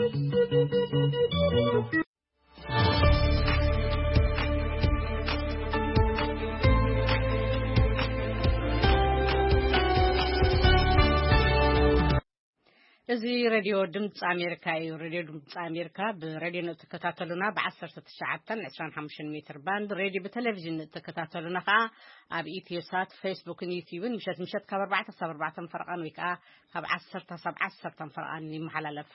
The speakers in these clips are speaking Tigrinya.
እዚ ሬድዮ ድምፂ ኣሜሪካ እዩ። ሬድዮ ድምፂ ኣሜሪካ ብሬድዮ ንእትከታተሉና ብ19፣ 25 ሜትር ባንድ፣ ሬድዮ ብቴሌቪዥን ንእትከታተሉና ከዓ ኣብ ኢትዮ ሳት፣ ፌስቡክን ዩቲዩብን ምሸት ምሸት ካብ ኣርባዕተ ሳብ ኣርባዕተ ፈረቓን ወይ ከዓ ካብ ዓሰርተ ሳብ ዓሰርተ ፈረቓን ይመሓላለፍ።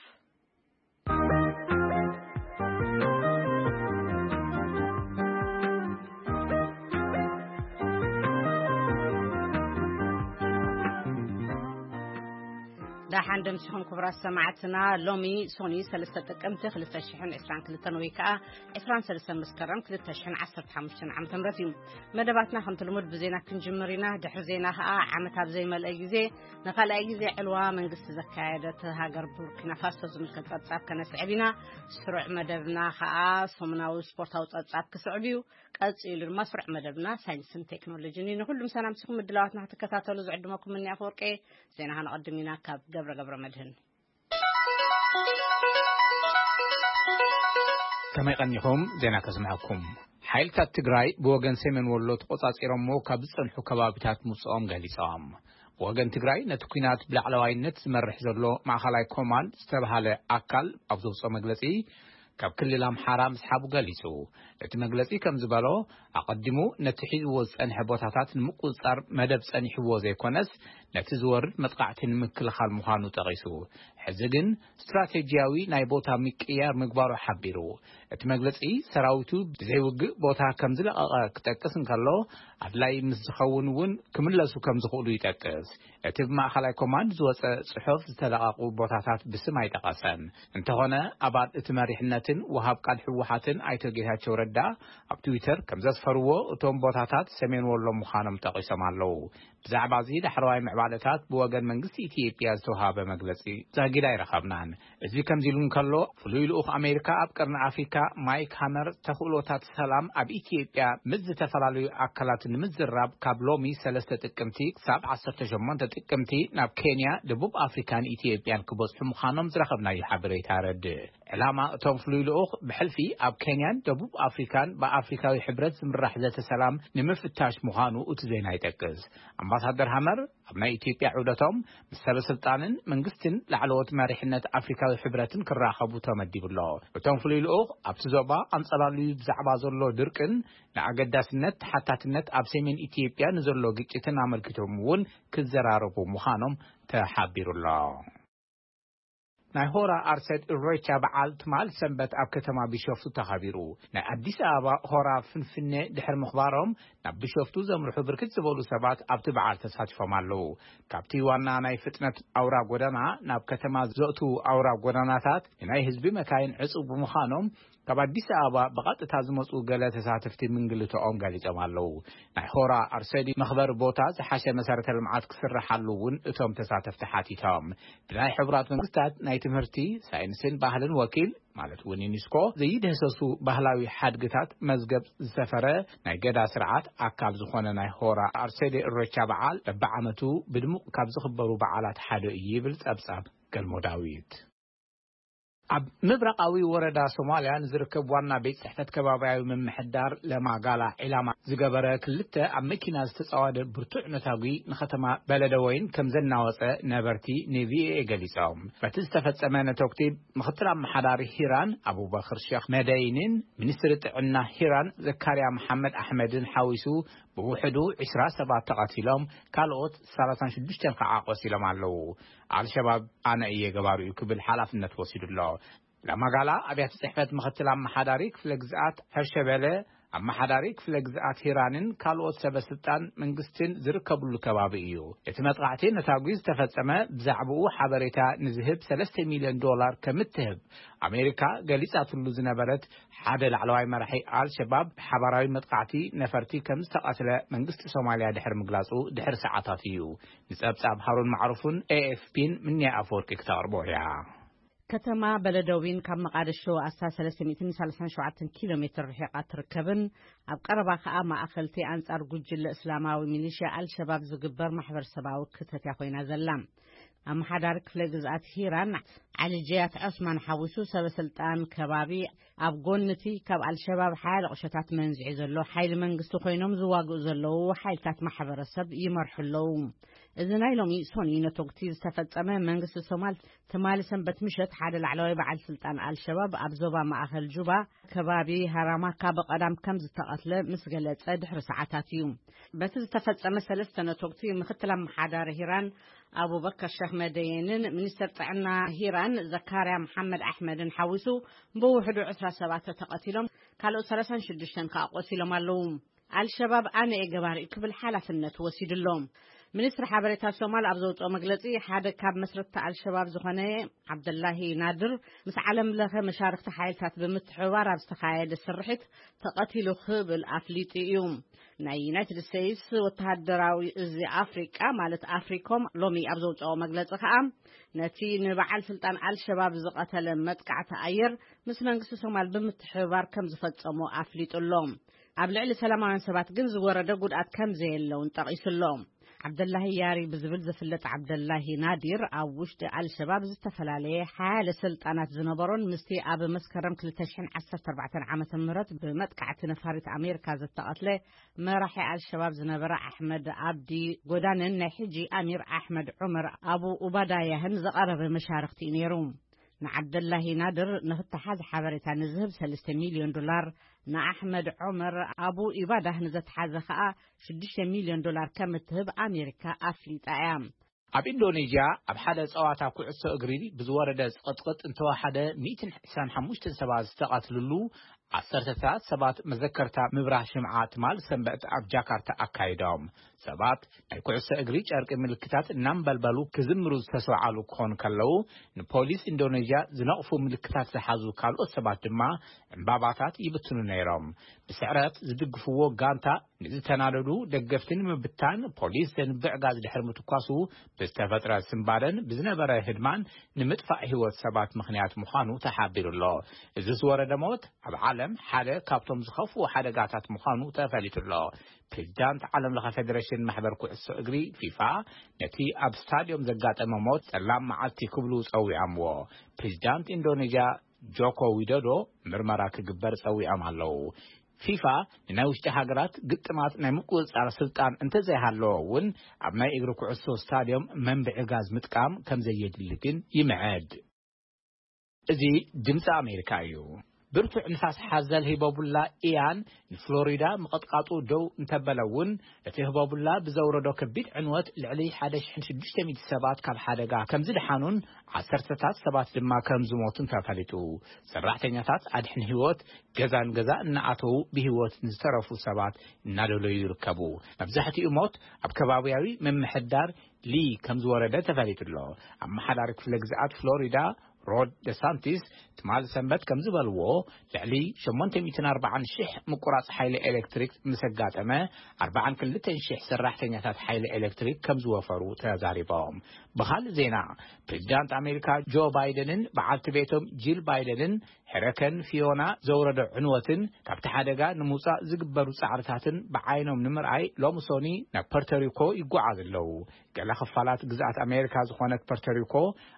ዳሓን ደምሲኹም ክቡራት ሰማዕትና። ሎሚ ሶኒ ሰለስተ ጥቅምቲ ክልተ ሽሕን ዕስራን ክልተን ወይ ከዓ ዕስራን ሰለስተን መስከረም ክልተ ሽሕን ዓሰርተ ሓሙሽተን ዓመተ ምህረት እዩ። መደባትና ከምቲ ልሙድ ብዜና ክንጅምር ኢና። ድሕሪ ዜና ከዓ ዓመት ኣብ ዘይመልአ ግዜ ንኻልኣይ ግዜ ዕልዋ መንግስቲ ዘካየደት ሃገር ቡርኪና ፋሶ ዝምልከት ጸብጻብ ከነስዕብ ኢና። ስሩዕ መደብና ከዓ ሰሙናዊ ስፖርታዊ ጸብጻብ ክስዕብ እዩ። ቀጺሉ ድማ ስሩዕ መደብና ሳይንስን ቴክኖሎጂን እዩ። ንኹሉም ሰላም ሲኹም ምድላዋትና ክትከታተሉ ዝዕድመኩም እኒ ኣፈወርቄ። ዜና ከነቐድም ኢና ካብ ገብረ ገብረ መድህን። ከመይ ቀኒኹም? ዜና ከስምዐኩም። ሓይልታት ትግራይ ብወገን ሰሜን ወሎ ተቖጻጺሮሞ ካብ ዝጸንሑ ከባቢታት ምውጽኦም ገሊጾም። ብወገን ትግራይ ነቲ ኲናት ብላዕለዋይነት ዝመርሕ ዘሎ ማእኸላይ ኮማንድ ዝተባሃለ ኣካል ኣብ ዘውፅኦ መግለጺ ካብ ክልል ኣምሓራ ምስሓቡ ገሊጹ። እቲ መግለጺ ከም ዝበሎ ኣቐዲሙ ነቲ ሒዝዎ ዝጸንሐ ቦታታት ንምቁጽጻር መደብ ጸኒሕዎ ዘይኮነስ ነቲ ዝወርድ መጥቃዕቲ ንምክልኻል ምዃኑ ጠቒሱ። ሕዚ ግን ስትራቴጂያዊ ናይ ቦታ ምቅያር ምግባሩ ሓቢሩ። እቲ መግለጺ ሰራዊቱ ብዘይውግእ ቦታ ከም ዝለቐቐ ክጠቅስ እንከሎ ኣድላይ ምስ ዝኸውን እውን ክምለሱ ከም ዝኽእሉ ይጠቅስ። እቲ ብማእኸላይ ኮማንድ ዝወጸ ጽሑፍ ዝተለቐቑ ቦታታት ብስም ኣይጠቐሰን። እንተኾነ ኣባል እቲ መሪሕነትን ወሃብ ቃል ህወሓትን ኣይቶ ጌታቸው ረዳ ኣብ ትዊተር ከም ዘስፈርዎ እቶም ቦታታት ሰሜን ወሎ ምዃኖም ጠቒሶም ኣለዉ። ብዛዕባ እዚ ዳሕረዋይ ምዕባለታት ብወገን መንግስቲ ኢትዮጵያ ዝተውሃበ መግለጺ ዛጊድ ኣይረኸብናን። እዚ ከምዚ ኢሉ እንከሎ ፍሉይ ልኡኽ ኣሜሪካ ኣብ ቀርኒ ኣፍሪካ ማይክ ሃመር ተኽእሎታት ሰላም ኣብ ኢትዮጵያ ምስ ዝተፈላለዩ ኣካላት ንምዝራብ ካብ ሎሚ ሰለስተ ጥቅምቲ ክሳብ ዓሰርተ ሸሞንተ ጥቅምቲ ናብ ኬንያ፣ ደቡብ ኣፍሪካን ኢትዮጵያን ክበጽሑ ምዃኖም ዝረኸብናዮ ሓበሬታ የረድእ። ዕላማ እቶም ፍሉይ ልኡኽ ብሕልፊ ኣብ ኬንያን ደቡብ ኣፍሪካን ብኣፍሪካዊ ሕብረት ዝምራሕ ዘተ ሰላም ንምፍታሽ ምዃኑ እቲ ዜና ይጠቅስ። ኣምባሳደር ሃመር ኣብ ናይ ኢትዮጵያ ዑደቶም ምስ ሰበ ስልጣንን መንግስትን ላዕለዎት መሪሕነት ኣፍሪካዊ ሕብረትን ክራኸቡ ተመዲቡ ኣሎ። እቶም ፍሉይ ልኡኽ ኣብቲ ዞባ ኣንጸላልዩ ብዛዕባ ዘሎ ድርቅን ንኣገዳስነት ተሓታትነት ኣብ ሰሜን ኢትዮጵያ ንዘሎ ግጭትን ኣመልኪቶም እውን ክዘራረቡ ምዃኖም ተሓቢሩ ኣሎ። ናይ ሆራ ኣርሰድ እሬቻ በዓል ትማል ሰንበት ኣብ ከተማ ቢሾፍቱ ተኸቢሩ። ናይ ኣዲስ ኣበባ ሆራ ፍንፍኔ ድሕሪ ምኽባሮም ናብ ቢሾፍቱ ዘምርሑ ብርክት ዝበሉ ሰባት ኣብቲ በዓል ተሳቲፎም ኣለዉ። ካብቲ ዋና ናይ ፍጥነት ኣውራ ጎደና ናብ ከተማ ዘእትዉ ኣውራ ጎደናታት ንናይ ህዝቢ መካይን ዕጹው ብምዃኖም ካብ ኣዲስ ኣበባ ብቐጥታ ዝመጹ ገለ ተሳተፍቲ ምንግልትኦም ገሊጾም ኣለዉ። ናይ ሆራ ኣርሰዲ መኽበሪ ቦታ ዝሓሸ መሰረተ ልምዓት ክስርሓሉ እውን እቶም ተሳተፍቲ ሓቲቶም። ብናይ ሕቡራት መንግስታት ናይ ትምህርቲ፣ ሳይንስን ባህልን ወኪል ማለት እውን ዩኒስኮ ዘይድህሰሱ ባህላዊ ሓድግታት መዝገብ ዝሰፈረ ናይ ገዳ ስርዓት ኣካል ዝኾነ ናይ ሆራ ኣርሰዲ እሬቻ በዓል በብዓመቱ ብድሙቕ ካብ ዝኽበሩ በዓላት ሓደ እዩ ይብል ጸብጻብ ገልሞ ዳዊት። ኣብ ምብራቓዊ ወረዳ ሶማልያ ንዝርከብ ዋና ቤት ጽሕፈት ከባብያዊ ምምሕዳር ለማጋላ ዒላማ ዝገበረ ክልተ ኣብ መኪና ዝተጻወደ ብርቱዕ ነታጒ ንከተማ በለደወይን ከም ዘናወጸ ነበርቲ ንቪኦኤ ገሊጾም። በቲ ዝተፈጸመ ነተጉቲ ምኽትል ኣመሓዳሪ ሂራን ኣቡበክር ሼክ መደይንን ሚኒስትሪ ጥዕና ሂራን ዘካርያ መሓመድ ኣሕመድን ሓዊሱ ብውሕዱ ዕስራ ሰባት ተቐቲሎም፣ ካልኦት ሰላሳን ሽዱሽተን ከዓ ቆሲሎም ኣለዉ። ኣልሸባብ ኣነ እየ ገባሩ እዩ ክብል ሓላፍነት ወሲዱ ኣሎ። ለማጋላ ኣብያተ ጽሕፈት ምኽትል ኣመሓዳሪ ክፍለ ግዝኣት ሀርሸበለ፣ ኣመሓዳሪ ክፍለ ግዝኣት ሂራንን ካልኦት ሰበ ስልጣን መንግስትን ዝርከብሉ ከባቢ እዩ። እቲ መጥቃዕቲ ነታጒ ዝተፈጸመ ብዛዕባኡ ሓበሬታ ንዝህብ ሰለስተ ሚልዮን ዶላር ከም እትህብ ኣሜሪካ ገሊጻትሉ ዝነበረት ሓደ ላዕለዋይ መራሒ ኣልሸባብ ብሓባራዊ መጥቃዕቲ ነፈርቲ ከም ዝተቐትለ መንግስቲ ሶማልያ ድሕሪ ምግላጹ ድሕሪ ሰዓታት እዩ። ንጸብጻብ ሃሩን ማዕሩፍን ኤኤፍፒን ምንያ ኣፈወርቂ ክተቕርቦ እያ። ከተማ በለደዊን ካብ መቓደሾ ኣስታት ሰለስተ ሚእትን ሰላሳን ሸውዓተን ኪሎ ሜትር ርሒቓ ትርከብን ኣብ ቀረባ ከኣ ማእኸልቲ ኣንጻር ጉጅለ እስላማዊ ሚሊሽያ ኣልሸባብ ዝግበር ማሕበረሰባዊ ክተት እያ ኮይና ዘላ። ኣመሓዳሪ ክፍለ ግዝኣት ሂራን ዓሊ ጀያት ዑስማን ሓዊሱ ሰበ ስልጣን ከባቢ ኣብ ጎንቲ ካብ ኣልሸባብ ሓያለ ቁሸታት መንዚዑ ዘሎ ሓይሊ መንግስቲ ኮይኖም ዝዋግኡ ዘለዉ ሓይልታት ማሕበረሰብ ይመርሑ ኣለዉ። እዚ ናይ ሎሚ ሶኒ ነቶግቲ ዝተፈጸመ መንግስቲ ሶማል ትማሊ ሰንበት ምሸት ሓደ ላዕለዋይ በዓል ስልጣን ኣልሸባብ ኣብ ዞባ ማእኸል ጁባ ከባቢ ሃራማካ ብቐዳም ከም ዝተቐትለ ምስ ገለጸ ድሕሪ ሰዓታት እዩ። በቲ ዝተፈጸመ ሰለስተ ነቶግቲ ምክትል ኣመሓዳሪ ሂራን ኣቡበከር ሸኽ መደየንን ሚኒስተር ጥዕና ሂራን ዘካርያ መሓመድ ኣሕመድን ሓዊሱ ብውሕዱ ዕስራ ሰባት ተቐቲሎም፣ ካልኦት ሰላሳን ሽዱሽተን ከኣ ቆሲሎም ኣለዉ። ኣልሸባብ ኣነ እየ ገባሪኡ ክብል ሓላፍነት ወሲዱ ኣሎ። ሚኒስትሪ ሓበሬታ ሶማል ኣብ ዘውፅኦ መግለፂ፣ ሓደ ካብ መስረትቲ ኣልሸባብ ዝኾነ ዓብደላሂ ናድር ምስ ዓለም ለኸ መሻርክቲ ሓይልታት ብምትሕብባር ኣብ ዝተኻየደ ስርሒት ተቐቲሉ ክብል ኣፍሊጡ እዩ። ናይ ዩናይትድ ስቴትስ ወተሃደራዊ እዚ ኣፍሪቃ ማለት ኣፍሪኮም ሎሚ ኣብ ዘውፅኦ መግለፂ ከኣ፣ ነቲ ንበዓል ስልጣን ኣልሸባብ ዝቐተለ መጥቃዕቲ ኣየር ምስ መንግስቲ ሶማል ብምትሕብባር ከም ዝፈጸሞ ኣፍሊጡ ኣሎ። ኣብ ልዕሊ ሰላማውያን ሰባት ግን ዝወረደ ጉድኣት ከም ዘየለ እውን ጠቒሱ ኣሎ። ዓብደላሂ ያሪ ብዝብል ዝፍለጥ ዓብደላሂ ናዲር ኣብ ውሽጢ ኣልሸባብ ዝተፈላለየ ሓያለ ስልጣናት ዝነበሮን ምስቲ ኣብ መስከረም ክልተ ሽሕን ዓሰርተ ኣርባዕተን ዓመተ ምህረት ብመጥቃዕቲ ነፋሪት ኣሜሪካ ዝተቐትለ መራሒ ኣልሸባብ ዝነበረ ኣሕመድ ኣብዲ ጎዳንን ናይ ሕጂ ኣሚር ኣሕመድ ዑመር ኣቡ ኡባዳያህን ዝቐረበ መሻርክቲ እዩ ነይሩ። ንዓብደላሂ ናድር ንክተሓዝ ሓበሬታ ንዝህብ ሰለስተ ሚልዮን ዶላር፣ ንኣሕመድ ዑመር ኣቡ ኢባዳህ ንዘተሓዘ ከኣ ሽዱሽተ ሚልዮን ዶላር ከም እትህብ ኣሜሪካ ኣፍሊጣ እያ። ኣብ ኢንዶኔዥያ ኣብ ሓደ ጸዋታ ኩዕሶ እግሪ ብዝወረደ ጽቕጥቅጥ እንተወሓደ ሚእትን ዕስራን ሓሙሽተን ሰባት ዝተቐትልሉ፣ ዓሰርተታት ሰባት መዘከርታ ምብራህ ሽምዓ ትማል ሰንበት ኣብ ጃካርታ ኣካይዶም። ሰባት ናይ ኩዕሶ እግሪ ጨርቂ ምልክታት እናንበልበሉ ክዝምሩ ዝተሰውዓሉ ክኾኑ ከለዉ፣ ንፖሊስ ኢንዶኔዥያ ዝነቕፉ ምልክታት ዝሓዙ ካልኦት ሰባት ድማ ዕምባባታት ይብትኑ ነይሮም። ብስዕረት ዝድግፍዎ ጋንታ ንዝተናደዱ ደገፍቲ ንምብታን ፖሊስ ዘንብዕ ጋዝ ድሕሪ ምትኳሱ ብዝተፈጥረ ስምባደን ብዝነበረ ህድማን ንምጥፋእ ህይወት ሰባት ምኽንያት ምዃኑ ተሓቢሩ ኣሎ። እዚ ዝወረደ ሞት ኣብ ዓለም ሓደ ካብቶም ዝኸፍኡ ሓደጋታት ምዃኑ ተፈሊጡ ኣሎ። ፕሬዚዳንት ዓለም ለኸ ፌዴሬሽን ማሕበር ኩዕሶ እግሪ ፊፋ ነቲ ኣብ ስታዲዮም ዘጋጠመ ሞት ጸላም መዓልቲ ክብሉ ጸዊዖምዎ። ፕሬዚዳንት ኢንዶኔዥያ ጆኮ ዊዶዶ ምርመራ ክግበር ጸዊዖም ኣለዉ። ፊፋ ንናይ ውሽጢ ሃገራት ግጥማት ናይ ምቁጽጻር ስልጣን እንተዘይሃለዎ እውን፣ ኣብ ናይ እግሪ ኩዕሶ ስታድዮም መንብዒ ጋዝ ምጥቃም ከም ዘየድሊ ግን ይምዕድ። እዚ ድምፂ ኣሜሪካ እዩ። ብርቱዕ ንፋስ ሓዘል ሂቦቡላ ኢያን ንፍሎሪዳ ምቕጥቃጡ ደው እንተበለ እውን፣ እቲ ህቦቡላ ብዘውረዶ ከቢድ ዕንወት ልዕሊ ሓደ ሽሕን ሽዱሽተ ሚእቲ ሰባት ካብ ሓደጋ ከም ዝደሓኑን ዓሰርተታት ሰባት ድማ ከም ዝሞቱን ተፈሊጡ። ሰራሕተኛታት ኣድሕን ህይወት ገዛ ንገዛ እናኣተዉ ብህይወት ንዝተረፉ ሰባት እናደለዩ ይርከቡ። መብዛሕትኡ ሞት ኣብ ከባቢያዊ ምምሕዳር ሊ ከም ዝወረደ ተፈሊጡ ኣሎ። ኣመሓዳሪ ክፍለ ግዝኣት ፍሎሪዳ ሮድ ደሳንቲስ ትማሊ ሰንበት ከም ዝበልዎ፣ ልዕሊ ሸሞንተ ሚእትን ኣርባዓን ሽሕ ምቁራጽ ሓይሊ ኤሌክትሪክ ምስ ኣጋጠመ፣ ኣርባዓን ክልተን ሽሕ ሰራሕተኛታት ሓይሊ ኤሌክትሪክ ከም ዝወፈሩ ተዛሪቦም። ብኻልእ ዜና፣ ፕሬዚዳንት ኣሜሪካ ጆ ባይደንን በዓልቲ ቤቶም ጂል ባይደንን ሄረከን ፊዮና ዘውረዶ ዕንወትን ካብቲ ሓደጋ ንምውጻእ ዝግበሩ ጻዕርታትን ብዓይኖም ንምርኣይ ሎሚ ሶኒ ናብ ፐርቶሪኮ ይጓዓዙ ኣለዉ። ገለ ክፋላት ግዝኣት ኣሜሪካ ዝኾነት ፐርቶሪኮ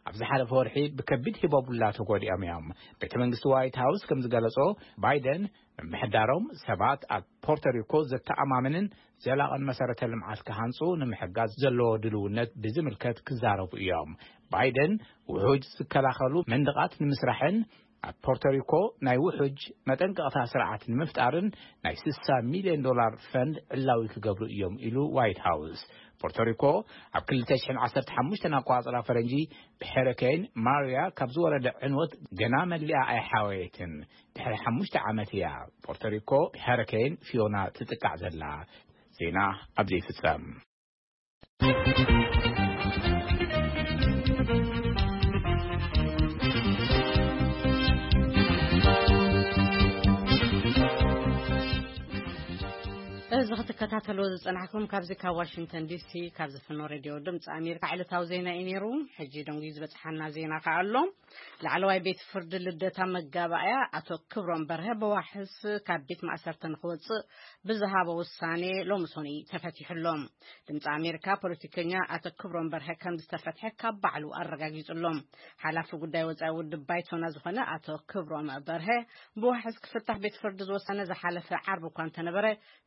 ኣብ ዝሓለፈ ወርሒ ብከቢድ ሂቦቡላ ተጎዲኦም እዮም። ቤተ መንግስቲ ዋይት ሃውስ ከም ዝገለጾ፣ ባይደን ምምሕዳሮም ሰባት ኣብ ፖርቶሪኮ ዘተኣማምንን ዘላቕን መሰረተ ልምዓት ክሃንጹ ንምሕጋዝ ዘለዎ ድልውነት ብዝምልከት ክዛረቡ እዮም። ባይደን ውሑጅ ዝከላኸሉ መንደቓት ንምስራሕን ኣብ ፖርቶሪኮ ናይ ውሑጅ መጠንቀቕታ ስርዓት ንምፍጣርን ናይ ስሳ ሚልዮን ዶላር ፈንድ ዕላዊ ክገብሩ እዮም ኢሉ ዋይት ሃውስ። ፖርቶሪኮ ኣብ ክልተ ሽሕን ዓሰርተ ሓሙሽተን ኣቆጻጽራ ፈረንጂ ብሄሪኬን ማሪያ ካብ ዝወረደ ዕንወት ገና መሊኣ ኣይሓወየትን። ድሕሪ ሓሙሽተ ዓመት እያ ፖርቶሪኮ ብሄሪኬን ፊዮና ትጥቃዕ ዘላ። ዜና ኣብዚ ይፍጸም። እዚ ክትከታተልዎ ዝጸናሕኩም ካብዚ ካብ ዋሽንግተን ዲሲ ካብ ዝፍኖ ሬድዮ ድምፂ ኣሜሪካ ዕለታዊ ዜና እዩ ነይሩ። ሕጂ ደንጉዩ ዝበጽሓና ዜና ከኣ ኣሎ። ላዕለዋይ ቤት ፍርዲ ልደታ መጋባእያ ኣቶ ክብሮም በርሀ ብዋሕስ ካብ ቤት ማእሰርቲ ንክወፅእ ብዝሃቦ ውሳኔ ሎሚ ሶኒ ተፈቲሑ ኣሎ። ድምፂ ኣሜሪካ ፖለቲከኛ ኣቶ ክብሮም በርሀ ከም ዝተፈትሐ ካብ ባዕሉ ኣረጋጊጹ ኣሎ። ሓላፊ ጉዳይ ወፃኢ ውድብ ባይቶና ዝኾነ ኣቶ ክብሮም በርሀ ብዋሕስ ክፍታሕ ቤት ፍርዲ ዝወሰነ ዝሓለፈ ዓርቢ እኳ እንተነበረ፣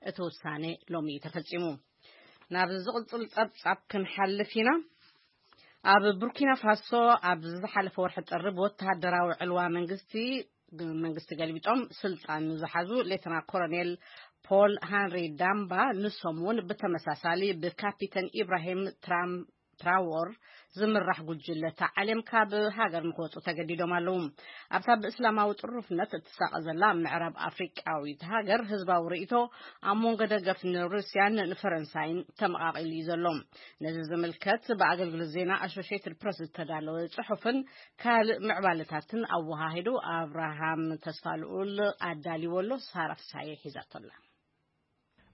እቲ ውሳኔ ሎሚ እዩ ተፈጺሙ። ናብ ዝቕጽል ጸብጻብ ክንሓልፍ ኢና። ኣብ ቡርኪና ፋሶ ኣብ ዝሓለፈ ወርሒ ጥሪ ብወተሃደራዊ ዕልዋ መንግስቲ መንግስቲ ገልቢጦም ስልጣን ዝሓዙ ሌተና ኮሎኔል ፖል ሃንሪ ዳምባ ንሶም እውን ብተመሳሳሊ ብካፒተን ኢብራሂም ትራም ትራዎር ዝምራሕ ጉጅለ ተዓልዮም ካብ ሃገር ንክወፁ ተገዲዶም ኣለዉ። ኣብታ ብእስላማዊ ጥሩፍነት እትሳቐ ዘላ ምዕራብ ኣፍሪቃዊት ሃገር ህዝባዊ ርእይቶ ኣብ መንጎ ደገፍ ንሩስያን ንፈረንሳይን ተመቓቒሉ እዩ ዘሎ። ነዚ ዝምልከት ብኣገልግሎት ዜና ኣሶሽየትድ ፕረስ ዝተዳለወ ጽሑፍን ካልእ ምዕባለታትን ኣወሃሂዱ ኣብርሃም ተስፋልኡል ኣዳልዎ ኣሎ። ሳራ ፍሳየ ሒዛቶ ኣላ።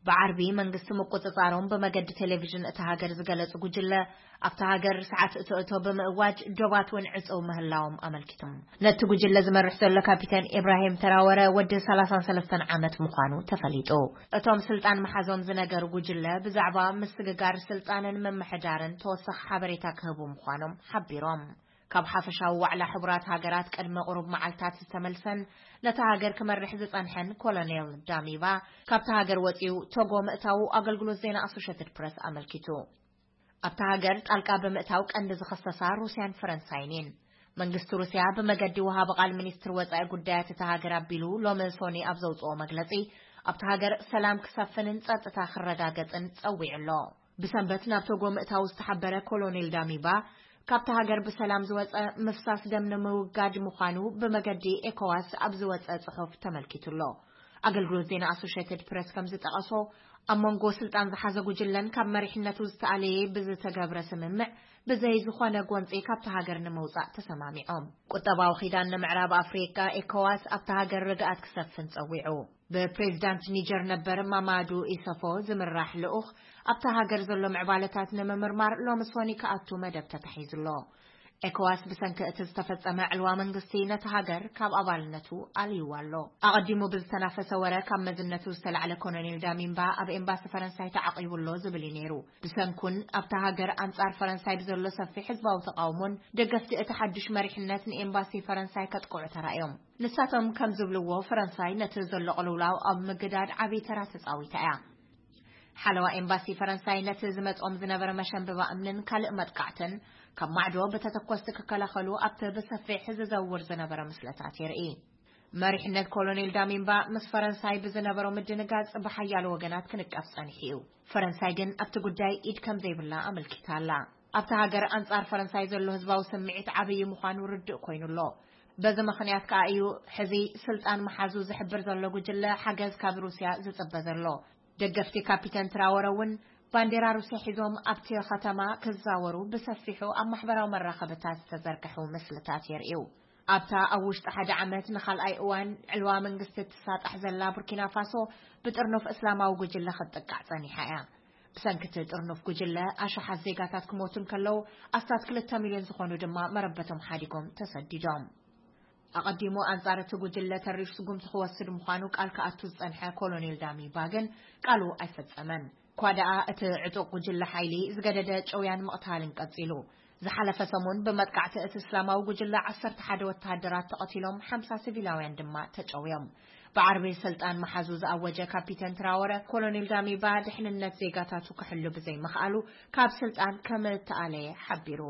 ብዓርቢ መንግስቲ ምቁጽጻሮም ብመገዲ ቴሌቪዥን እታ ሃገር ዝገለጹ ጉጅለ፣ ኣብታ ሃገር ሰዓት እቶ እቶ ብምእዋጅ ዶባት እውን ዕጹው ምህላዎም ኣመልኪቶም። ነቲ ጉጅለ ዝመርሕ ዘሎ ካፒተን ኢብራሂም ተራወረ ወዲ ሰላሳን ሰለስተን ዓመት ምዃኑ ተፈሊጡ። እቶም ስልጣን መሓዞም ዝነገሩ ጉጅለ ብዛዕባ ምስግጋር ስልጣንን ምምሕዳርን ተወሳኺ ሓበሬታ ክህቡ ምዃኖም ሓቢሮም። ካብ ሓፈሻዊ ዋዕላ ሕቡራት ሃገራት ቅድሚ ቁሩብ መዓልታት ዝተመልሰን ነታ ሃገር ክመርሕ ዝጸንሐን ኮሎኔል ዳሚባ ካብታ ሃገር ወጺኡ ቶጎ ምእታዉ ኣገልግሎት ዜና ኣሶሽየትድ ፕረስ ኣመልኪቱ። ኣብታ ሃገር ጣልቃ ብምእታው ቀንዲ ዝኸሰሳ ሩስያን ፈረንሳይን እየን። መንግስቲ ሩስያ ብመገዲ ወሃቢ ቃል ሚኒስትር ወጻኢ ጉዳያት እታ ሃገር ኣቢሉ ሎሚ ሶኒ ኣብ ዘውጽኦ መግለጺ፣ ኣብታ ሃገር ሰላም ክሰፍንን ጸጥታ ክረጋገጽን ጸዊዑ ኣሎ። ብሰንበት ናብ ቶጎ ምእታው ዝተሓበረ ኮሎኔል ዳሚባ፣ ካብታ ሃገር ብሰላም ዝወጸ ምፍሳስ ደም ንምውጋድ ምዃኑ ብመገዲ ኤኮዋስ ኣብ ዝወጸ ጽሑፍ ተመልኪቱ ኣሎ። ኣገልግሎት ዜና ኣሶሽየትድ ፕረስ ከም ዝጠቐሶ፣ ኣብ መንጎ ስልጣን ዝሓዘ ጉጅለን ካብ መሪሕነቱ ዝተኣለየ ብዝተገብረ ስምምዕ ብዘይ ዝኾነ ጎንጺ ካብታ ሃገር ንምውጻእ ተሰማሚዖም። ቁጠባዊ ኪዳን ንምዕራብ ኣፍሪቃ ኤኮዋስ ኣብታ ሃገር ርግኣት ክሰፍን ጸዊዑ። ብፕሬዚዳንት ኒጀር ነበር ማማዱ ኢሰፎ ዝምራሕ ልኡኽ ኣብታ ሃገር ዘሎ ምዕባለታት ንምምርማር ሎሚ ሶኒ ክኣቱ መደብ ተታሒዙ ኣሎ። ኤኮዋስ ብሰንኪ እቲ ዝተፈጸመ ዕልዋ መንግስቲ ነቲ ሃገር ካብ ኣባልነቱ ኣልይዋ ኣሎ። ኣቐዲሙ ብዝተናፈሰ ወረ ካብ መዝነቱ ዝተላዕለ ኮሎኔል ዳሚምባ ኣብ ኤምባሲ ፈረንሳይ ተዓቒቡ ኣሎ ዝብል እዩ ነይሩ። ብሰንኩን ኣብታ ሃገር ኣንጻር ፈረንሳይ ብዘሎ ሰፊሕ ህዝባዊ ተቓውሞን ደገፍቲ እቲ ሓድሽ መሪሕነት ንኤምባሲ ፈረንሳይ ከጥቅዑ ተራእዮም። ንሳቶም ከም ዝብልዎ ፈረንሳይ ነቲ ዘሎ ቅልውላው ኣብ ምግዳድ ዓብዪ ተራ ተጻዊታ እያ። ሓለዋ ኤምባሲ ፈረንሳይ ነቲ ዝመጾም ዝነበረ መሸንበባ እምንን ካልእ መጥቃዕትን ካብ ማዕዶ ብተተኮስቲ ክከላኸሉ ኣብቲ ብሰፊሕ ዝዘውር ዝነበረ ምስለታት የርኢ። መሪሕነት ኮሎኔል ዳሚምባ ምስ ፈረንሳይ ብዝነበሮ ምድንጋጽ ብሓያሎ ወገናት ክንቀፍ ጸኒሑ እዩ። ፈረንሳይ ግን ኣብቲ ጉዳይ ኢድ ከም ዘይብላ ኣመልኪታ ኣላ። ኣብታ ሃገር ኣንጻር ፈረንሳይ ዘሎ ህዝባዊ ስምዒት ዓብዪ ምዃኑ ርዱእ ኮይኑ ኣሎ። በዚ ምኽንያት ከኣ እዩ ሕዚ ስልጣን መሓዙ ዝሕብር ዘሎ ጉጅለ ሓገዝ ካብ ሩስያ ዝጽበ ዘሎ። ደገፍቲ ካፒተን ትራወረ እውን ባንዴራ ሩስያ ሒዞም ኣብቲ ከተማ ክዛወሩ ብሰፊሑ ኣብ ማሕበራዊ መራኸብታት ዝተዘርግሑ ምስልታት የርእዩ። ኣብታ ኣብ ውሽጢ ሓደ ዓመት ንኻልኣይ እዋን ዕልዋ መንግስቲ እትሳጣሕ ዘላ ቡርኪና ፋሶ ብጥርኑፍ እስላማዊ ጉጅለ ክትጥቃዕ ጸኒሓ እያ። ብሰንኪ እቲ ጥርኑፍ ጉጅለ ኣሽሓት ዜጋታት ክሞቱ እንከለዉ ኣስታት ክልተ ሚልዮን ዝኾኑ ድማ መረበቶም ሓዲጎም ተሰዲዶም። ኣቐዲሙ ኣንጻር እቲ ጉጅለ ተሪፍ ስጉምቲ ክወስድ ምዃኑ ቃል ክኣቱ ዝጸንሐ ኮሎኔል ዳሚባ ግን ቃሉ ኣይፈጸመን። እኳ ደኣ እቲ ዕጡቕ ጉጅለ ሓይሊ ዝገደደ ጭውያን ምቕታልን ቀጺሉ። ዝሓለፈ ሰሙን ብመጥቃዕቲ እቲ እስላማዊ ጉጅለ ዓሰርተ ሓደ ወተሃደራት ተቐቲሎም ሓምሳ ሲቪላውያን ድማ ተጨውዮም። ብዓርቢ ስልጣን መሓዙ ዝኣወጀ ካፒተን ትራወረ ኮሎኔል ዳሚባ ድሕንነት ዜጋታቱ ክሕሉ ብዘይምኽኣሉ ካብ ስልጣን ከም እተኣለየ ሓቢሩ።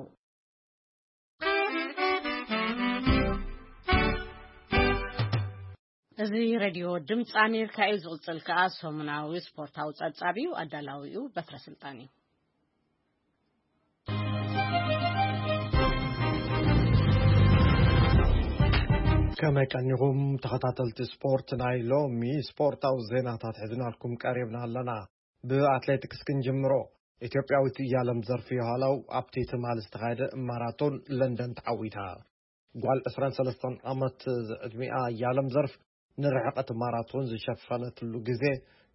እዚ ሬድዮ ድምፂ ኣሜሪካ እዩ። ዝቕፅል ከኣ ሰሙናዊ ስፖርታዊ ጸብጻብ እዩ። ኣዳላዊኡ በትረ ስልጣን እዩ። ከመይ ቀኒኹም ተኸታተልቲ ስፖርት? ናይ ሎሚ ስፖርታዊ ዜናታት ሒዝናልኩም ቀሪብና ኣለና። ብኣትሌቲክስ ክንጅምሮ። ኢትዮጵያዊት እያለም ዘርፍ የኋላው ኣብቲ ትማሊ ዝተኻየደ ማራቶን ለንደን ተዓዊታ። ጓል ዕስራን ሰለስተን ዓመት ዕድሚኣ እያለም ዘርፍ ንርሕቀት ማራቶን ዝሸፈነትሉ ግዜ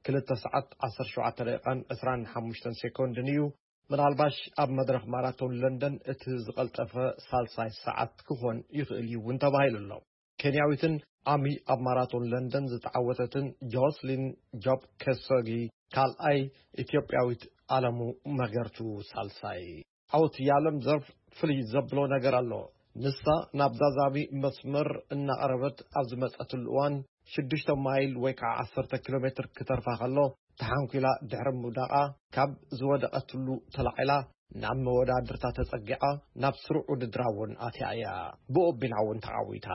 ክልተ ሰዓት ዓሰርተ ሸውዓተ ደቂቓን ዕስራን ሓሙሽተን ሴኮንድን እዩ። ምናልባሽ ኣብ መድረኽ ማራቶን ለንደን እቲ ዝቐልጠፈ ሳልሳይ ሰዓት ክኾን ይኽእል እዩ እውን ተባሂሉ ኣሎ። ኬንያዊትን ዓሚ ኣብ ማራቶን ለንደን ዝተዓወተትን ጆስሊን ጆብ ከሶጊ ካልኣይ፣ ኢትዮጵያዊት ኣለሙ መገርቱ ሳልሳይ። ዓወት ያለም ዘርፍ ፍልይ ዘብሎ ነገር ኣሎ። ንሳ ናብ ዛዛሚ መስመር እናቐረበት ኣብ ዝመጸትሉ እዋን ሽዱሽተ ማይል ወይ ከዓ ዓሰርተ ኪሎ ሜትር ክተርፋ ከሎ ተሓንኲላ ድሕሪ ምውዳቓ ካብ ዝወደቐትሉ ተላዒላ ናብ መወዳድርታ ተጸጊዓ ናብ ስሩዕ ውድድራ እውን ኣትያ እያ። ብኦቢና እውን ተዓዊታ።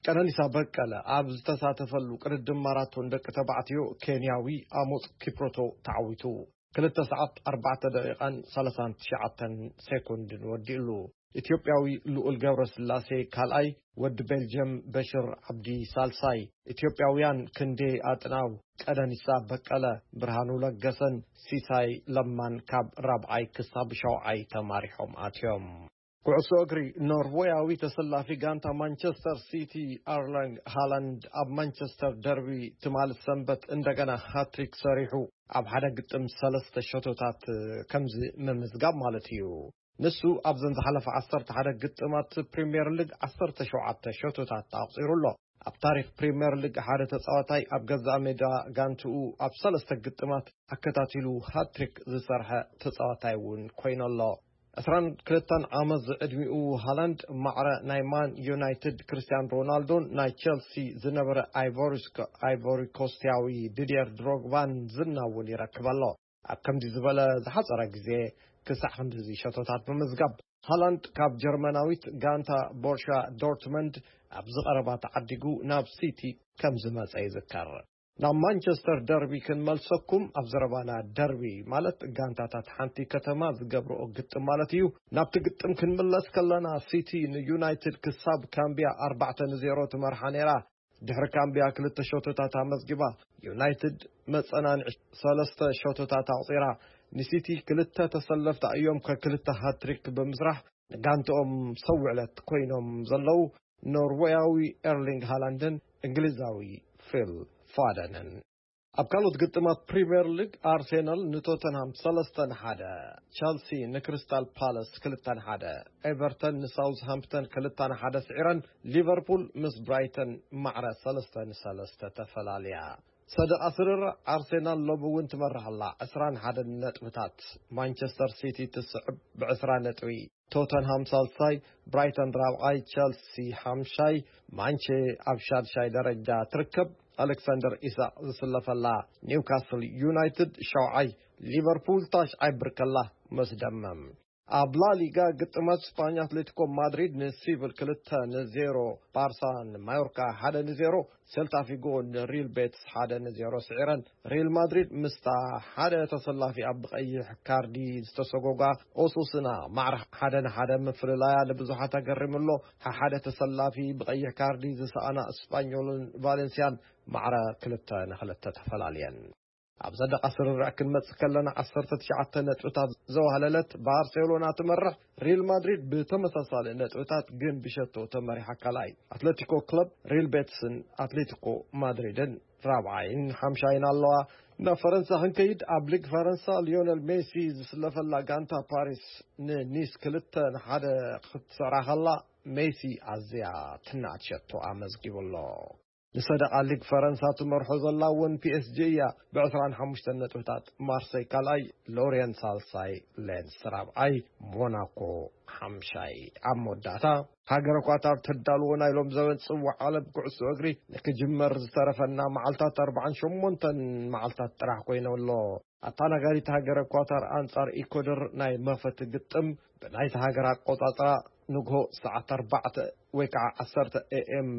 ቀነኒሳ በቀለ ኣብ ዝተሳተፈሉ ቅድድም ማራቶን ደቂ ተባዕትዮ ኬንያዊ ኣሞጽ ኪፕሮቶ ተዓዊቱ። ክልተ ሰዓት ኣርባዕተ ደቂቓን ሰላሳን ትሽዓተን ሴኮንድን ወዲእሉ። ኢትዮጵያዊ ልኡል ገብረስላሴ ካልኣይ፣ ወዲ ቤልጅየም በሽር ዓብዲ ሳልሳይ። ኢትዮጵያውያን ክንዴ ኣጥናው፣ ቀነኒሳ በቀለ፣ ብርሃኑ ለገሰን ሲሳይ ለማን ካብ ራብዓይ ክሳብ ሻውዓይ ተማሪሖም ኣትዮም። ኩዕሶ እግሪ፣ ኖርዌያዊ ተሰላፊ ጋንታ ማንቸስተር ሲቲ ኣርሊንግ ሃላንድ ኣብ ማንቸስተር ደርቢ ትማሊ ሰንበት እንደገና ሃትሪክ ሰሪሑ ኣብ ሓደ ግጥም ሰለስተ ሸቶታት ከምዚ ምምዝጋብ ማለት እዩ። ንሱ ኣብዘን ዝሓለፈ ዓሰርተ ሓደ ግጥማት ፕሪምየር ሊግ ዓሰርተ ሸውዓተ ሸቶታት ኣቑጺሩ ኣሎ። ኣብ ታሪኽ ፕሪምየር ሊግ ሓደ ተጻዋታይ ኣብ ገዛእ ሜዳ ጋንትኡ ኣብ ሰለስተ ግጥማት ኣከታቲሉ ሃትሪክ ዝሰርሐ ተጻዋታይ እውን ኮይኑ ኣሎ። ዕስራን ክልተን ዓመት ዝዕድሚኡ ሃላንድ ማዕረ ናይ ማን ዩናይትድ ክርስቲያን ሮናልዶን ናይ ቸልሲ ዝነበረ ኣይቮሪስኮ-፣ ኣይቮሪኮስቲያዊ ዲድየር ድሮግባን ዝና እውን ይረክብ ኣሎ። ኣብ ከምዚ ዝበለ ዝሓጸረ ግዜ ክሳዕ ክንድዚ ሸቶታት ብምዝጋብ፣ ሃላንድ ካብ ጀርመናዊት ጋንታ ቦርሻ ዶርትመንድ ኣብዚ ቀረባ ተዓዲጉ ናብ ሲቲ ከም ዝመጸ ይዝከር። ናብ ማንቸስተር ደርቢ ክንመልሰኩም፣ ኣብ ዘረባና ደርቢ ማለት ጋንታታት ሓንቲ ከተማ ዝገብርኦ ግጥም ማለት እዩ። ናብቲ ግጥም ክንምለስ ከለና፣ ሲቲ ንዩናይትድ ክሳብ ካምቢያ ኣርባዕተ ንዜሮ ትመርሓ ነይራ። ድሕሪ ካምቢያ ክልተ ሸቶታት ኣመዝጊባ፣ ዩናይትድ መጸናንዒ ሰለስተ ሸቶታት ኣቑጺራ። ንሲቲ ክልተ ተሰለፍቲ እዮም ከክልተ ሃትሪክ ብምስራሕ ንጋንትኦም ሰውዕለት ኮይኖም ዘለዉ ኖርዌያዊ ኤርሊንግ ሃላንድን እንግሊዛዊ ፊል ፋደንን። ኣብ ካልኦት ግጥማት ፕሪምየር ሊግ፣ ኣርሴናል ንቶተንሃም ሰለስተ ንሓደ፣ ቸልሲ ንክሪስታል ፓለስ ክልተ ንሓደ፣ ኤቨርተን ንሳውዝሃምፕተን ክልተ ንሓደ ስዒረን፣ ሊቨርፑል ምስ ብራይተን ማዕረ ሰለስተ ንሰለስተ ተፈላልያ። ሰደቓ ስርርዕ፣ ኣርሴናል ሎሚ እውን ትመርሕ ኣላ፣ ዕስራን ሓደን ነጥብታት። ማንቸስተር ሲቲ ትስዕብ ብዕስራ ነጥቢ። ቶተንሃም ሳልሳይ፣ ብራይተን ራብዓይ፣ ቸልሲ ሓምሻይ፣ ማንቼ ኣብ ሻድሻይ ደረጃ ትርከብ። ኣሌክሳንደር ኢሳቕ ዝስለፈላ ኒውካስል ዩናይትድ ሻውዓይ፣ ሊቨርፑል ታሽዓይ ብርከላ መስደመም። ኣብ ላሊጋ ግጥማት ስፓኛ፣ ኣትሌቲኮ ማድሪድ ንሲቪል ክልተ ንዜሮ፣ ባርሳ ንማዮርካ ሓደ ንዜሮ፣ ሴልታ ፊጎ ንሪል ቤትስ ሓደ ንዜሮ ስዒረን። ሪል ማድሪድ ምስታ ሓደ ተሰላፊ ኣብ ብቐይሕ ካርዲ ዝተሰጎጋ ኦሱስና ማዕረ ሓደ ንሓደ ምፍልላያ ንብዙሓት ኣገሪሙ ኣሎ። ሓደ ተሰላፊ ብቐይሕ ካርዲ ዝሰኣና እስፓኞልን ቫሌንሲያን ማዕረ ክልተ ንክልተ ተፈላልየን። ኣብ ሰደቓ ስርርዕ ክንመጽእ ከለና፣ ዓሰርተ ትሽዓተ ነጥብታት ዘዋህለለት ባርሴሎና ትመርሕ። ሪል ማድሪድ ብተመሳሳሊ ነጥብታት ግን ብሸቶ ተመሪሓ ካልኣይ። ኣትሌቲኮ ክለብ፣ ሪል ቤትስን ኣትሌቲኮ ማድሪድን ራብዓይን ሓምሻይን ኣለዋ። ናብ ፈረንሳ ክንከይድ፣ ኣብ ሊግ ፈረንሳ ሊዮነል ሜሲ ዝስለፈላ ጋንታ ፓሪስ ንኒስ ክልተ ንሓደ ክትስዕራ ከላ፣ ሜሲ ኣዝያ ትናት ሸቶ ኣመዝጊቡ ኣሎ። ንሰደቓ ሊግ ፈረንሳ ትመርሖ ዘላ እውን ፒ ኤስ ጂ እያ፣ ብዕስራን ሓሙሽተን ነጥብታት። ማርሰይ ካልኣይ፣ ሎርየን ሳልሳይ፣ ሌንስ ራብዓይ፣ ሞናኮ ሓምሻይ። ኣብ መወዳእታ፣ ሃገረ ኳታር ተዳልዎ ናይ ሎም ዘበን ጽዋዕ ዓለም ኩዕሶ እግሪ ንክጅመር ዝተረፈና መዓልታት ኣርባዓን ሸሞንተን መዓልታት ጥራሕ ኮይነ ኣሎ። ኣተኣናጋዲት ሃገረ ኳታር ኣንጻር ኢኳዶር ናይ መኽፈቲ ግጥም ብናይታ ሃገር ኣቆጻጽራ ንግሆ ሰዓት ኣርባዕተ ወይ ከዓ ዓሰርተ ኤ ኤም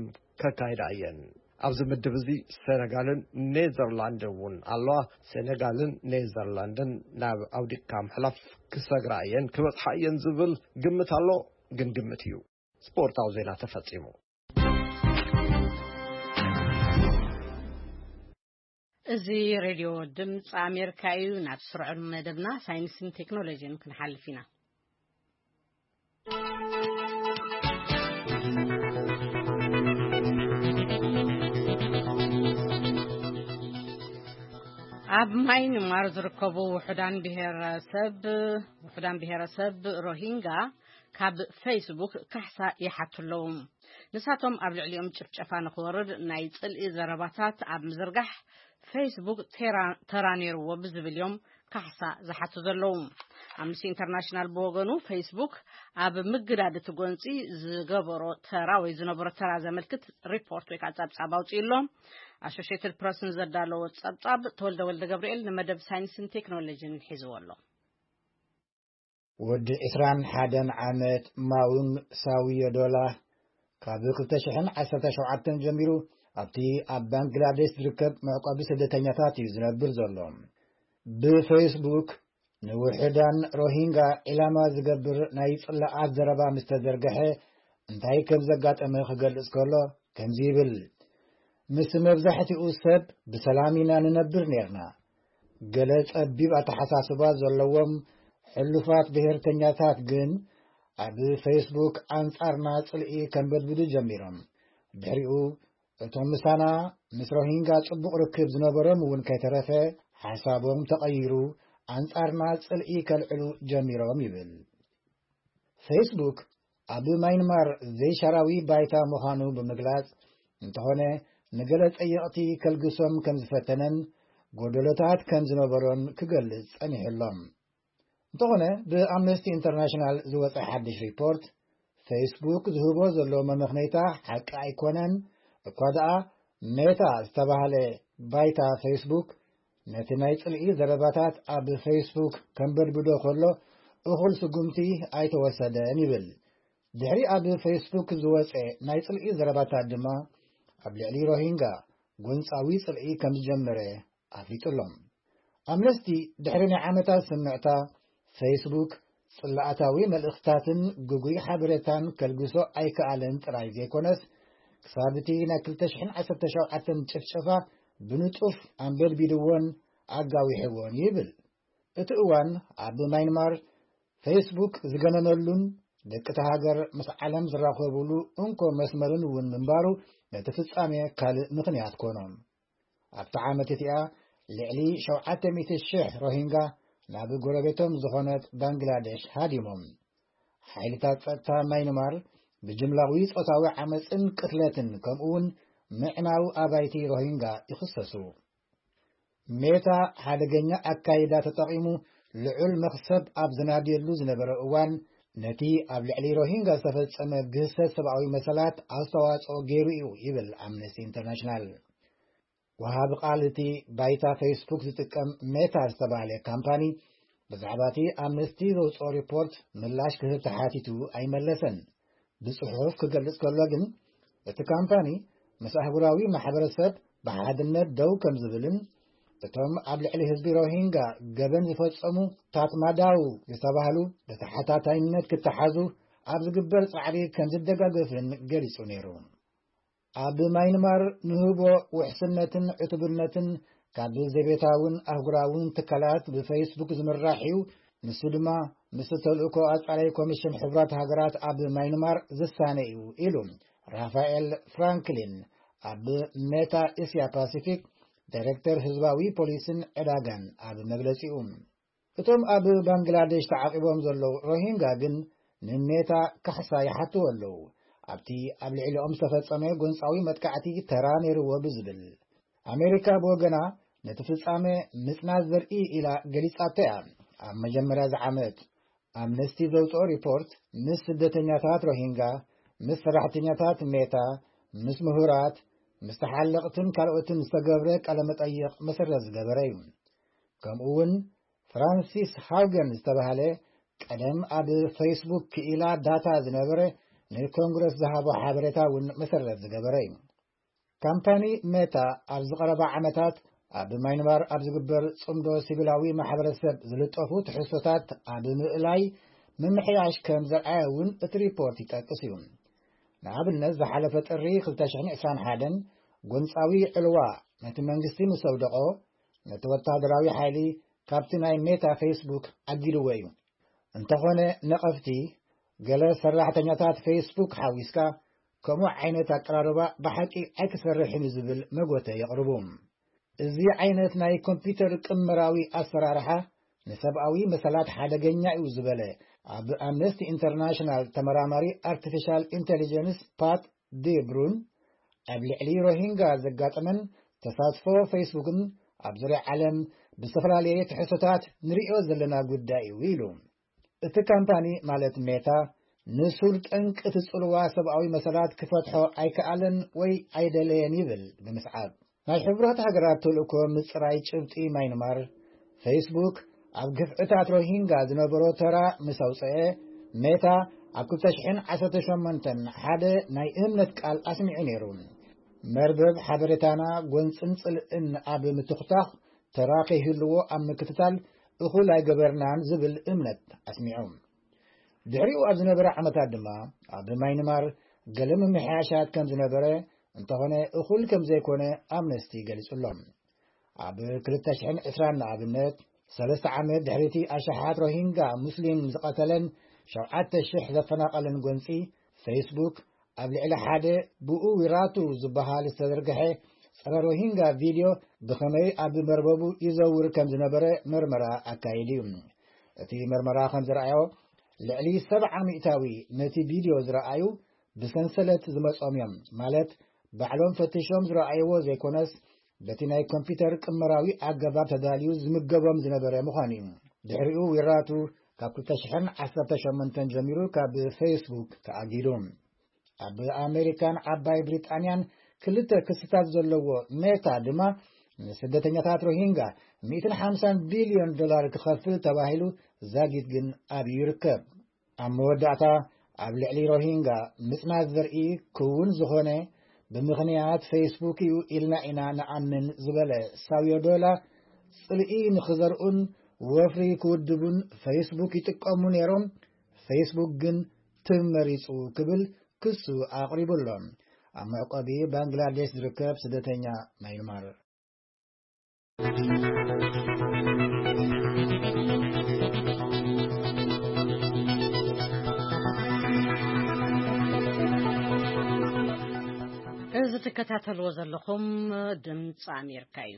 ከካይዳ እየን። ኣብዚ ምድብ እዚ ሴነጋልን ኔዘርላንድን እውን ኣለዋ። ሴነጋልን ኔዘርላንድን ናብ ኣውዲቅካ ምሕላፍ ክሰግራ እየን፣ ክበጽሓ እየን ዝብል ግምት ኣሎ፣ ግን ግምት እዩ። ስፖርታዊ ዜና ተፈጺሙ። እዚ ሬድዮ ድምፂ ኣሜሪካ እዩ። ናብ ስሩዕ መደብና ሳይንስን ቴክኖሎጂን ክንሓልፍ ኢና። ኣብ ማይንማር ዝርከቡ ውሑዳን ብሄረሰብ ውሑዳን ብሄረሰብ ሮሂንጋ ካብ ፌስቡክ ካሕሳ ይሓቱ ኣለዉ። ንሳቶም ኣብ ልዕሊኦም ጭፍጨፋ ንክወርድ ናይ ጽልኢ ዘረባታት ኣብ ምዝርጋሕ ፌስቡክ ተራ ነይርዎ ብዝብል እዮም ካሕሳ ዝሓቱ ዘለዉ። ኣምነስቲ ኢንተርናሽናል ብወገኑ ፌስቡክ ኣብ ምግዳድ እቲ ጎንፂ ዝገበሮ ተራ ወይ ዝነበሮ ተራ ዘመልክት ሪፖርት ወይ ከዓ ጸብጻብ ኣውፅኡ ኣሎ። ኣሶሽትድ ፕረስን ዘዳለዎ ጸብጻብ ተወልደ ወልደ ገብርኤል ንመደብ ሳይንስን ቴክኖሎጂን ሒዝዎ ኣሎ። ወዲ ዕስራን ሓደን ዓመት ማውን ሳውዮዶላ ካብ ክልተ ሽሕን ዓሰርተ ሸውዓተን ጀሚሩ ኣብቲ ኣብ ባንግላዴሽ ዝርከብ መዕቆቢ ስደተኛታት እዩ ዝነብር ዘሎ። ብፌስቡክ ንውሕዳን ሮሂንጋ ዒላማ ዝገብር ናይ ጽላኣት ዘረባ ምስ ተዘርግሐ እንታይ ከም ዘጋጠመ ክገልጽ ከሎ ከምዚ ይብል። ምስ መብዛሕትኡ ሰብ ብሰላም ኢና ንነብር ነርና። ገለ ጸቢብ ኣተሓሳስባ ዘለዎም ሕሉፋት ብሄርተኛታት ግን ኣብ ፌስቡክ ኣንጻርና ጽልኢ ከንበድብዱ ጀሚሮም። ድሕሪኡ እቶም ምሳና ምስ ሮሂንጋ ጽቡቕ ርክብ ዝነበሮም እውን ከይተረፈ ሓሳቦም ተቐይሩ ኣንጻርና ጽልኢ ከልዕሉ ጀሚሮም ይብል። ፌስቡክ ኣብ ማይንማር ዘይሻራዊ ባይታ ምዃኑ ብምግላጽ እንተኾነ ንገለ ጸየቕቲ ከልግሶም ከም ዝፈተነን ጎደሎታት ከም ዝነበሮን ክገልጽ ጸኒሑ ኣሎ። እንተኾነ ብኣምነስቲ ኢንተርናሽናል ዝወጸ ሓድሽ ሪፖርት ፌስቡክ ዝህቦ ዘሎ መመኽነይታ ሓቂ ኣይኮነን። እኳ ደኣ ሜታ ዝተባህለ ባይታ ፌስቡክ ነቲ ናይ ጽልኢ ዘረባታት ኣብ ፌስቡክ ከንበድብዶ ከሎ እኹል ስጉምቲ ኣይተወሰደን ይብል። ድሕሪ ኣብ ፌስቡክ ዝወጸ ናይ ጽልኢ ዘረባታት ድማ ኣብ ልዕሊ ሮሂንጋ ጎንጻዊ ጽልኢ ከም ዝጀመረ ኣፍሊጡ ኣሎ። ኣምነስቲ ድሕሪ ናይ ዓመታት ስምዕታ ፌስቡክ ጽላኣታዊ መልእኽትታትን ግጉይ ሓበሬታን ከልግሶ ኣይከኣለን ጥራይ ዘይኮነስ ክሳብ እቲ ናይ ክልተ ሽሕን ዓሰርተ ሸውዓተን ጭፍጨፋ ብንጡፍ ኣንበድቢድዎን ኣጋዊሕዎን ይብል። እቲ እዋን ኣብ ማይንማር ፌስቡክ ዝገነነሉን ደቂ እታ ሃገር ምስ ዓለም ዝራኸቡሉ እንኮ መስመርን እውን ምንባሩ ነቲ ፍጻሜ ካልእ ምኽንያት ኮኖ። ኣብታ ዓመት እቲኣ ልዕሊ ሸውዓተ ሚእቲ ሽሕ ሮሂንጋ ናብ ጎረቤቶም ዝኾነት ባንግላዴሽ ሃዲሞም። ሓይልታት ጸጥታ ማይንማር ብጅምላዊ ጾታዊ ዓመጽን ቅትለትን ከምኡውን ምዕናው ኣባይቲ ሮሂንጋ ይኽሰሱ። ሜታ ሓደገኛ ኣካይዳ ተጠቒሙ ልዑል መኽሰብ ኣብ ዝናድየሉ ዝነበረ እዋን ነቲ ኣብ ልዕሊ ሮሂንጋ ዝተፈጸመ ግህሰት ሰብኣዊ መሰላት ኣስተዋጽኦ ገይሩ እዩ ይብል ኣምነስቲ ኢንተርናሽናል። ወሃቢ ቃል እቲ ባይታ ፌስቡክ ዝጥቀም ሜታ ዝተባህለ ካምፓኒ ብዛዕባ እቲ ኣምነስቲ ዘውፅኦ ሪፖርት ምላሽ ክህብ ተሓቲቱ ኣይመለሰን። ብጽሑፍ ክገልጽ ከሎ ግን እቲ ካምፓኒ ምስ ኣህጉራዊ ማሕበረሰብ ብሓድነት ደው ከም ዝብልን እቶም ኣብ ልዕሊ ህዝቢ ሮሂንጋ ገበን ዝፈጸሙ ታትማዳው ዝተባህሉ ብተሓታታይነት ክተሓዙ ኣብ ዝግበር ጻዕሪ ከም ዝደጋገፍን ገሊጹ ነይሩ። ኣብ ማይንማር ንህቦ ውሕስነትን ዕቱብነትን ካብ ዘቤታውን ኣህጉራውን ትካላት ብፌስቡክ ዝምራሕ እዩ። ንሱ ድማ ምስ ተልእኮ ኣጻላይ ኮሚሽን ሕቡራት ሃገራት ኣብ ማይንማር ዝሳነ እዩ ኢሉ ራፋኤል ፍራንክሊን ኣብ ሜታ እስያ ፓሲፊክ ዳይሬክተር ህዝባዊ ፖሊስን ዕዳጋን ኣብ መግለጺኡ። እቶም ኣብ ባንግላዴሽ ተዓቂቦም ዘለዉ ሮሂንጋ ግን ንሜታ ካሕሳ ይሓትዎ ኣለዉ። ኣብቲ ኣብ ልዕሊኦም ዝተፈጸመ ጎንጻዊ መጥቃዕቲ ተራ ነይርዎ ብዝብል ኣሜሪካ ብወገና ነቲ ፍጻመ ምጽናት ዘርኢ ኢላ ገሊጻቶ እያ። ኣብ መጀመርያ ዝዓመት ኣምነስቲ ዘውፅኦ ሪፖርት ምስ ስደተኛታት ሮሂንጋ፣ ምስ ሰራሕተኛታት ሜታ፣ ምስ ምሁራት፣ ምስ ተሓለቕትን ካልኦትን ዝተገብረ ቃለ መጠይቕ መሰረት ዝገበረ እዩ። ከምኡ እውን ፍራንሲስ ሃውገን ዝተባህለ ቀደም ኣብ ፌስቡክ ክኢላ ዳታ ዝነበረ ንኮንግረስ ዝሃቦ ሓበሬታ እውን መሰረት ዝገበረ እዩ። ካምፓኒ ሜታ ኣብዚ ቀረባ ዓመታት ኣብ ማይንማር ኣብ ዝግበር ጽምዶ ሲቪላዊ ማሕበረሰብ ዝልጠፉ ትሕዝቶታት ኣብ ምእላይ ምምሕያሽ ከም ዘርኣየ እውን እቲ ሪፖርት ይጠቅስ እዩ። ንኣብነት ዝሓለፈ ጥሪ ክልተ ሽሕን ዕስራን ሓደን ጎንጻዊ ዕልዋ ነቲ መንግስቲ ምስ ኣውደቖ ነቲ ወታደራዊ ሓይሊ ካብቲ ናይ ሜታ ፌስቡክ ኣጊድዎ እዩ። እንተኾነ ነቐፍቲ ገለ ሰራሕተኛታት ፌስቡክ ሓዊስካ ከምኡ ዓይነት ኣቀራርባ ብሓቂ ኣይክሰርሕን እዩ ዝብል መጎተ የቕርቡ። እዚ ዓይነት ናይ ኮምፒውተር ቅመራዊ ኣሰራርሓ ንሰብኣዊ መሰላት ሓደገኛ እዩ ዝበለ ኣብ ኣምነስቲ ኢንተርናሽናል ተመራማሪ ኣርቲፊሻል ኢንቴሊጀንስ ፓት ዴብሩን፣ ኣብ ልዕሊ ሮሂንጋ ዘጋጠመን ተሳትፎ ፌስቡክን ኣብ ዙርያ ዓለም ብዝተፈላለየ ትሕዝቶታት ንርእዮ ዘለና ጉዳይ እዩ ኢሉ። እቲ ካምፓኒ ማለት ሜታ ንሱር ጠንቂ እቲ ጽልዋ ሰብኣዊ መሰላት ክፈትሖ ኣይከኣለን ወይ ኣይደለየን ይብል ብምስዓብ። ናይ ሕቡራት ሃገራት ተልእኮ ምጽራይ ጭብጢ ማይንማር፣ ፌስቡክ ኣብ ግፍዕታት ሮሂንጋ ዝነበሮ ተራ ምስ ኣውጽአ፣ ሜታ ኣብ ክልተ ሽሕን ዓሰርተ ሸሞንተን ሓደ ናይ እምነት ቃል ኣስሚዑ ነይሩ። መርበብ ሓበሬታና ጎንጽን ጽልእን ኣብ ምትኹታኽ ተራ ከይህልዎ ኣብ ምክትታል እኹል ኣይገበርናን ዝብል እምነት ኣስሚዑ። ድሕሪኡ ኣብ ዝነበረ ዓመታት ድማ ኣብ ማይንማር ገለ ምምሕያሻት ከም ዝነበረ፣ እንተኾነ እኹል ከም ዘይኮነ ኣምነስቲ ገሊጹ ኣሎ። ኣብ ክልተ ሽሕን ዕስራን ንኣብነት፣ ሰለስተ ዓመት ድሕሪቲ ኣሽሓት ሮሂንጋ ሙስሊም ዝቐተለን ሸውዓተ ሽሕ ዘፈናቐለን ጎንጺ፣ ፌስቡክ ኣብ ልዕሊ ሓደ ብኡ ዊራቱ ዝበሃል ዝተዘርግሐ ጸረ ሮሂንጋ ቪድዮ ብኸመይ ኣብ መርበቡ ይዘውር ከም ዝነበረ መርመራ ኣካይዱ እዩ። እቲ መርመራ ከም ዝረኣዮ፣ ልዕሊ ሰብዓ ሚእታዊ ነቲ ቪድዮ ዝረኣዩ ብሰንሰለት ዝመጾም እዮም፣ ማለት ባዕሎም ፈቲሾም ዝረኣይዎ ዘይኮነስ፣ በቲ ናይ ኮምፒውተር ቅመራዊ ኣገባብ ተዳልዩ ዝምገቦም ዝነበረ ምዃኑ እዩ። ድሕሪኡ ዊራቱ ካብ ክልተ ሽሕን ዓሰርተ ሸሞንተን ጀሚሩ ካብ ፌስቡክ ተኣጊዱ። ኣብ ኣሜሪካን ዓባይ ብሪጣንያን ክልተ ክስታት ዘለዎ ሜታ ድማ ንስደተኛታት ሮሂንጋ ሚእትን ሓምሳን ቢልዮን ዶላር ክኸፍል ተባሂሉ ዛጊት ግን ኣብዩ ይርከብ። ኣብ መወዳእታ ኣብ ልዕሊ ሮሂንጋ ምጽናት ዘርኢ ክውን ዝኾነ ብምኽንያት ፌስቡክ እዩ ኢልና ኢና ንኣምን ዝበለ ሳውዮዶላ፣ ጽልኢ ንኽዘርኡን ወፍሪ ክውድቡን ፌስቡክ ይጥቀሙ ነይሮም፣ ፌስቡክ ግን ትብ መሪጹ ክብል ክሱ ኣቕሪቡ ኣሎ። ኣብ መዕቆቢ ባንግላዴሽ ዝርከብ ስደተኛ ማይንማር። እዚ ትከታተልዎ ዘለኹም ድምፂ ኣሜሪካ እዩ።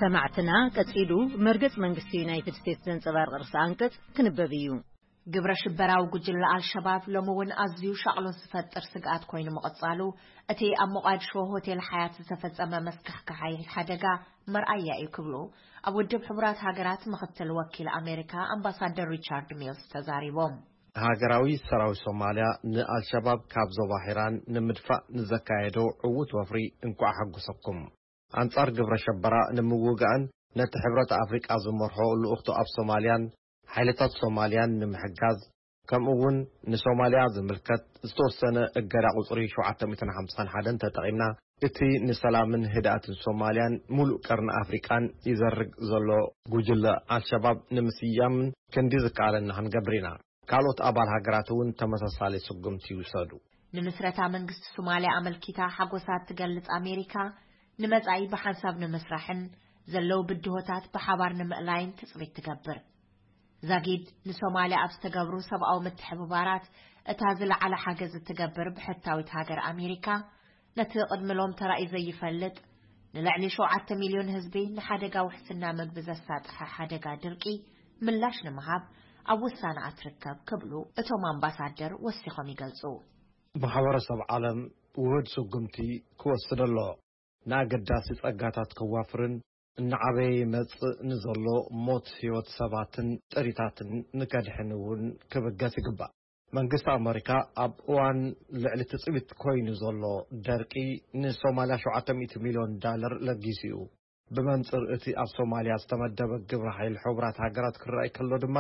ሰማዕትና፣ ቀጺሉ መርገጽ መንግስቲ ዩናይትድ ስቴትስ ዘንጸባርቕ ርእሰ ኣንቀጽ ክንበብ እዩ። ግብረ ሽበራዊ ጉጅለ ኣልሸባብ ሎሚ እውን ኣዝዩ ሻቕሎት ዝፈጥር ስግኣት ኮይኑ ምቕጻሉ፣ እቲ ኣብ ሞቓድሾ ሆቴል ሓያት ዝተፈጸመ መስካሕካሓይ ሓደጋ መርኣያ እዩ ክብሉ ኣብ ውድብ ሕቡራት ሃገራት ምኽትል ወኪል ኣሜሪካ ኣምባሳደር ሪቻርድ ሚልስ ተዛሪቦም። ሃገራዊ ሰራዊት ሶማልያ ንኣልሸባብ ካብ ዞባ ሒራን ንምድፋእ ንዘካየዶ ዕዉት ወፍሪ እንኳዕ ሓጎሰኩም። ኣንጻር ግብረ ሸበራ ንምውጋእን ነቲ ሕብረት ኣፍሪቃ ዝመርሖ ልኡኽቱ ኣብ ሶማልያን ሓይልታት ሶማልያን ንምሕጋዝ፣ ከምኡ እውን ንሶማልያ ዝምልከት ዝተወሰነ እገዳ ቁጽሪ ሸውዓተ ሚእትን ሓምሳን ሓደን ተጠቒምና፣ እቲ ንሰላምን ህድኣትን ሶማልያን ሙሉእ ቀርኒ ኣፍሪቃን ይዘርግ ዘሎ ጉጅለ ኣልሸባብ ንምስያምን ክንዲ ዝከኣለና ክንገብር ኢና። ካልኦት ኣባል ሃገራት እውን ተመሳሳሊ ስጉምቲ ይውሰዱ። ንምስረታ መንግስቲ ሶማልያ ኣመልኪታ ሓጎሳ እትገልጽ ኣሜሪካ፣ ንመጻኢ ብሓንሳብ ንምስራሕን ዘለዉ ብድሆታት ብሓባር ንምእላይን ትጽቢት ትገብር። ዛጊድ ንሶማልያ ኣብ ዝተገብሩ ሰብኣዊ ምትሕብባራት እታ ዝለዓለ ሓገዝ እትገብር ብሕታዊት ሃገር ኣሜሪካ፣ ነቲ ቅድሚ ሎም ተራእዩ ዘይፈልጥ ንልዕሊ ሸውዓተ ሚልዮን ህዝቢ ንሓደጋ ውሕስና መግቢ ዘሳጥሐ ሓደጋ ድርቂ ምላሽ ንምሃብ ኣብ ውሳነኣ ትርከብ ክብሉ እቶም ኣምባሳደር ወሲኾም ይገልጹ። ማሕበረሰብ ዓለም ውሁድ ስጉምቲ ክወስድ ኣሎ። ንኣገዳሲ ጸጋታት ከዋፍርን እናዓበየ ይመጽእ ንዘሎ ሞት ህይወት ሰባትን ጥሪታትን ንከድሕን እውን ክብገስ ይግባእ። መንግስቲ ኣመሪካ ኣብ እዋን ልዕሊ ትጽቢት ኮይኑ ዘሎ ደርቂ ንሶማልያ ሸውዓተ ሚእቲ ሚልዮን ዳለር ለጊሱ እዩ። ብመንጽር እቲ ኣብ ሶማልያ ዝተመደበ ግብረ ሓይል ሕቡራት ሃገራት ክረኣይ ከሎ ድማ፣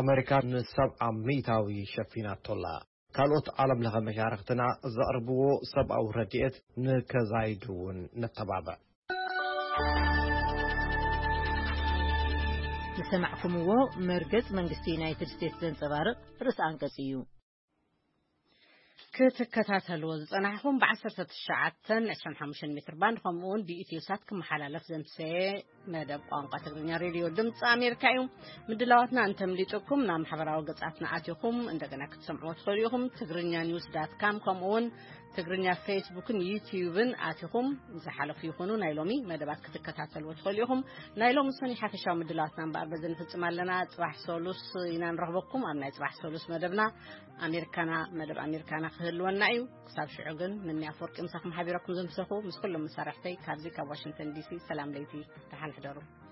ኣመሪካ ንሰብዓ ሚእታዊ ሸፊናቶ ኣላ። ካልኦት ዓለም ለኸ መሻርኽትና ዘቕርብዎ ሰብኣዊ ረድኤት ንከዛይዱ እውን ነተባብዕ። ዝሰማዕኩምዎ መርገጽ መንግስቲ ዩናይትድ ስቴትስ ዘንጸባርቕ ርእሰ ኣንቀጽ እዩ። ክትከታተልዎ ዝጸናሕኹም ብ19 25 ሜትር ባንድ፣ ከምኡ እውን ብኢትዮ ሳት ክመሓላለፍ ዘምሰየ መደብ ቋንቋ ትግርኛ ሬድዮ ድምፂ ኣሜሪካ እዩ። ምድላዋትና እንተምሊጥኩም ናብ ማሕበራዊ ገጻትና ኣቲኹም እንደገና ክትሰምዕዎ ትኽእሉ ኢኹም። ትግርኛ ኒውስ ዳት ካም፣ ከምኡ እውን ትግርኛ ፌስቡክን ዩቲዩብን ኣቲኹም ዝሓለፉ ይኹኑ ናይ ሎሚ መደባት ክትከታተልዎ ትኽእሉ ኢኹም። ናይ ሎሚ ሰኒ ሓፈሻዊ ምድላዋትና እምበኣር በዚ ንፍጽም ኣለና። ጽባሕ ሰሉስ ኢና ንረኽበኩም ኣብ ናይ ጽባሕ ሰሉስ መደብና። ኣሜሪካና፣ መደብ ኣሜሪካና ክህልወና እዩ። ክሳብ ሽዑ ግን፣ ምንያ ኣፈወርቂ ምሳኹም ሓቢረኩም ዝምሰኹ፣ ምስ ኩሎም መሳርሕተይ ካብዚ ካብ ዋሽንግተን ዲሲ፣ ሰላም ለይቲ፣ ደሓን ሕደሩ።